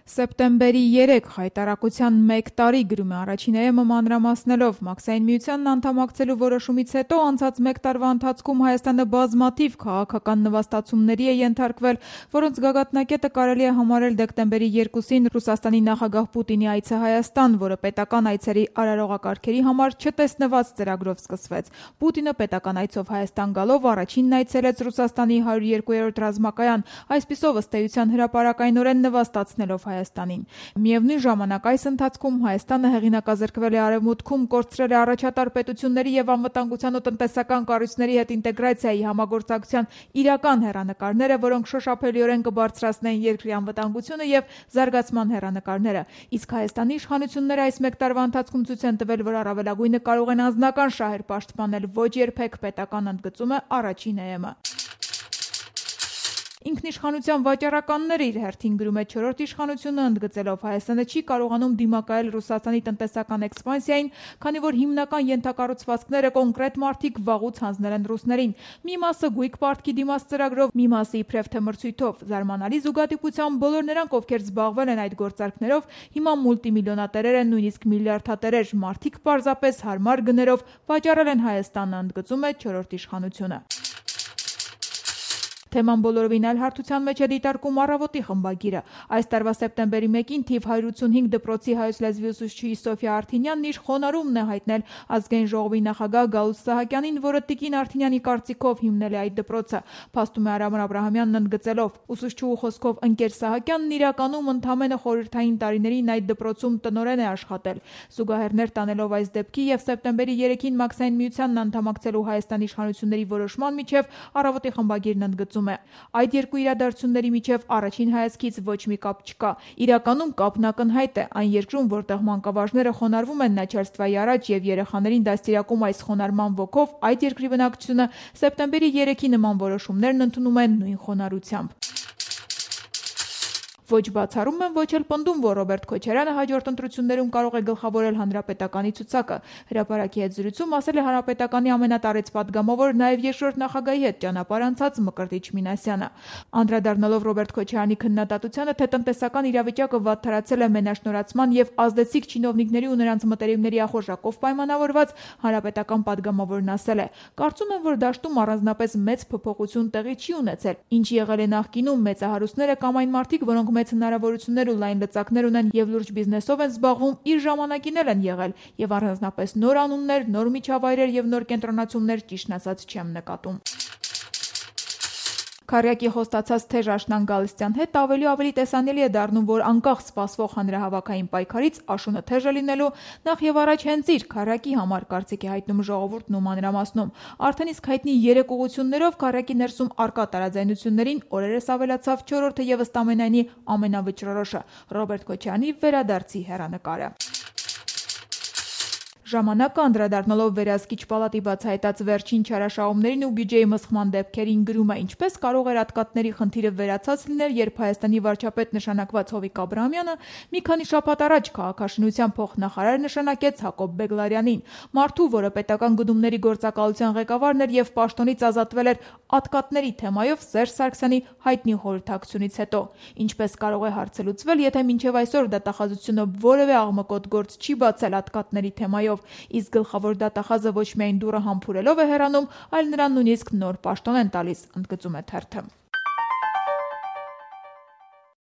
Սեպտեմբերի 3 հայտարարության 1 տարի գրում է Առաջին ԵՄ մանրամասնելով Մաքսային միությանն անդամակցելու որոշումից հետո անցած 1 տարվա ընթացքում Հայաստանը բազմաթիվ քաղաքական նվաստացումների է ենթարկվել, որոնց գագաթնակետը կարելի է համարել դեկտեմբերի 2-ին Ռուսաստանի նախագահ Պուտինի այցը Հայաստան, որը պետական այցերի արարողակարգերի համար չտեսնված ծրագրով սկսվեց։ Պուտինը պետական այցով Հայաստան գալով առաջինն այցելեց Ռուսաստանի 102-րդ ռազմակայան, այսպիսով ըստ էության հրապարակայնորեն նվաստացնելով Հայաստանին։ Միևնույն ժամանակ այս ընթացքում Հայաստանը հեղինակազրկվել է Արևմուտքում, կորցրել է առաջատար պետությունների եւ անվտանգության ու տնտեսական կառույցների հետ ինտեգրացիայի համագործակցության իրական հեռանկարները, որոնք շոշափելիորեն կբարձրացնեն երկրի անվտանգությունը եւ զարգացման հեռանկարները։ Իսկ Հայաստանի իշխանությունները այս 1 տարվա ընթացքում ցույց են տվել, որ առավելագույնը կարող են անձնական շահեր պաշտպանել, ոչ երբեք պետական, ընդգծում է Առաջին ԵՄ։ Ինքնիշխանության վաճառականները իր հերթին գրում է չորրորդ իշխանությունը, ընդգծելով Հայաստանը չի կարողանում դիմակայել Ռուսաստանի տնտեսական էքսպանսիային, քանի որ հիմնական ենթակառուցվածքները կոնկրետ մարդիկ վաղուց հանձնել են ռուսներին։ Մի մասը գույք պարտքի դիմաց ծրագրով, մի մասը իբրև թե մրցույթով։ Զարմանալի զուգադիպությամբ բոլոր նրանք, ովքեր զբաղվել են այդ գործարքներով, հիմա մուլտիմիլիոնատերեր են, նույնիսկ միլիարդատերեր։ Մարդիկ պարզապես հարմար գներով վաճառել են Հայաստանը, ընդգծում է չորրորդ իշխանությունը։ Թեման բոլորովին այլ հարթության մեջ է դիտարկում Առավոտի խմբագիրը։ Այս տարվա սեպտեմբերի 1-ին թիվ 185 դպրոցի հայոց լեզվի ուսուցչի Սոֆիա Արթինյանն իր խոնարհումն է հայտնել Ազգային ժողովի նախագահ Գալուստ Սահակյանին, որը Տիկին Արթինյանի կարծիքով հիմնել է այդ դպրոցը։ Փաստում է Արամ Աբրահամյանն ընդգծելով. ուսուցչուհու խոսքով ընկեր Սահակյանն իրականում ընդամենը խորհրդային տարիներին այդ դպրոցում տնօրեն է աշխատել։ Զուգահեռներ տանելով այս դեպքի եւ սեպտեմբերի 3-ին Մաքսային միությանն անդամակցելու Հայաստանի իշխանությունների որոշման միջև Առավոտի խմբագիրն ընդգծում այդ երկու իրադարձությունների միջև առաջին հայացքից ոչ մի կապ չկա։ Իրականում կապն ակնհայտ է։ Այն երկրում, որտեղ մանկավարժները խոնարհվում են Նաչարստվայի առաջ եւ երեխաներին դաստիարակում այս խոնարհման ոգով, այդ երկրի բնակչությունը սեպտեմբերի 3-ի նման որոշումներն ընդունում են նույն խոնարհությամբ։ Ոչ բացառում են, ոչ էլ պնդում, որ Ռոբերտ Քոչարյանը հաջորդ ընտրություններում կարող է գլխավորել Հանրապետականի ցուցակը։ Հրապարակի հետ զրույցում ասել է Հանրապետականի ամենատարեց падգամավոր, նաև երկրորդ նախագահի հետ ճանապարհ անցած Մկրտիչ Մինասյանը։ Անդրադառնալով Ռոբերտ Քոչարյանի քննադատությանը, թե տնտեսական իրավիճակը վատթարացել է մենաշնորհացման եւ ազդեցիկ չինովնիկների ու նրանց մտերիմների ախորժակով պայմանավորված, հանրապետական падգամավորն ասել է. կարծում եմ, որ դաշտում առանձնապես մեծ փոփոխություն տեղի չի ունեցել։ Ինչ եղել է նախկինում, մեծահարուստները կամ այն մարդիկ, որոնք մեծ հնարավորություններ ու լայն լծակներ ունեն եւ լուրջ բիզնեսով են զբաղվում, իր ժամանակին են եղել եւ առանձնապես նոր անուններ, նոր միջավայրեր եւ նոր կենտրոնացումներ ճիշտն ասած չեմ նկատում։ Քարյակի խոստացած թեժ աշնան Գալստյան հետ ավելի տեսանելի է դառնում, որ անկախ սպասվող հանրահավաքային պայքարից աշունը թեժ է լինելու նախ եւ առաջ հենց իր Քարյակի համար, կարծիք է հայտնում ժողովուրդն ու մանրամասնում։ Արդեն իսկ հայտնի 3 ուղղություններով Քարյակի ներսում արկա տարաձայնություններին օրերս ավելացավ 4-ը եւ ըստ ամենայնի ամենավճռորոշը՝ Ռոբերտ Քոչարյանի վերադարձի հեռանկարը։ Ժամանակը անդրադառնալով վերահսկիչ պալատի բացահայտած վերջին չարաշահումներին ու բյուջեի մսխման դեպքերին գրում է. ինչպես կարող էր ատկատների խնդիրը վերացած լինել, երբ Հայաստանի վարչապետ նշանակված Հովիկ Աբրահամյանը մի քանի շաբաթ առաջ քաղաքաշինության փոխնախարար նշանակեց Հակոբ Բեգլարյանին, մարդու, որը պետական գնումների գործակալության ղեկավարն էր եւ պաշտոնից ազատվել էր ատկատների թեմայով Սերժ Սարգսյանի հայտնի խորհրդակցությունից հետո։ Ինչպես կարող է հարցը լուծվել, եթե մինչև այսօր դատախազությունը որևէ աղմկոտ գործ չի բացել ատկատների թեմայով, իսկ գլխավոր դատախազը ոչ միայն դուռը համբուրելով է հեռանում, այլ նրան նույնիսկ նոր պաշտոն են տալիս, ընդգծում է թերթը։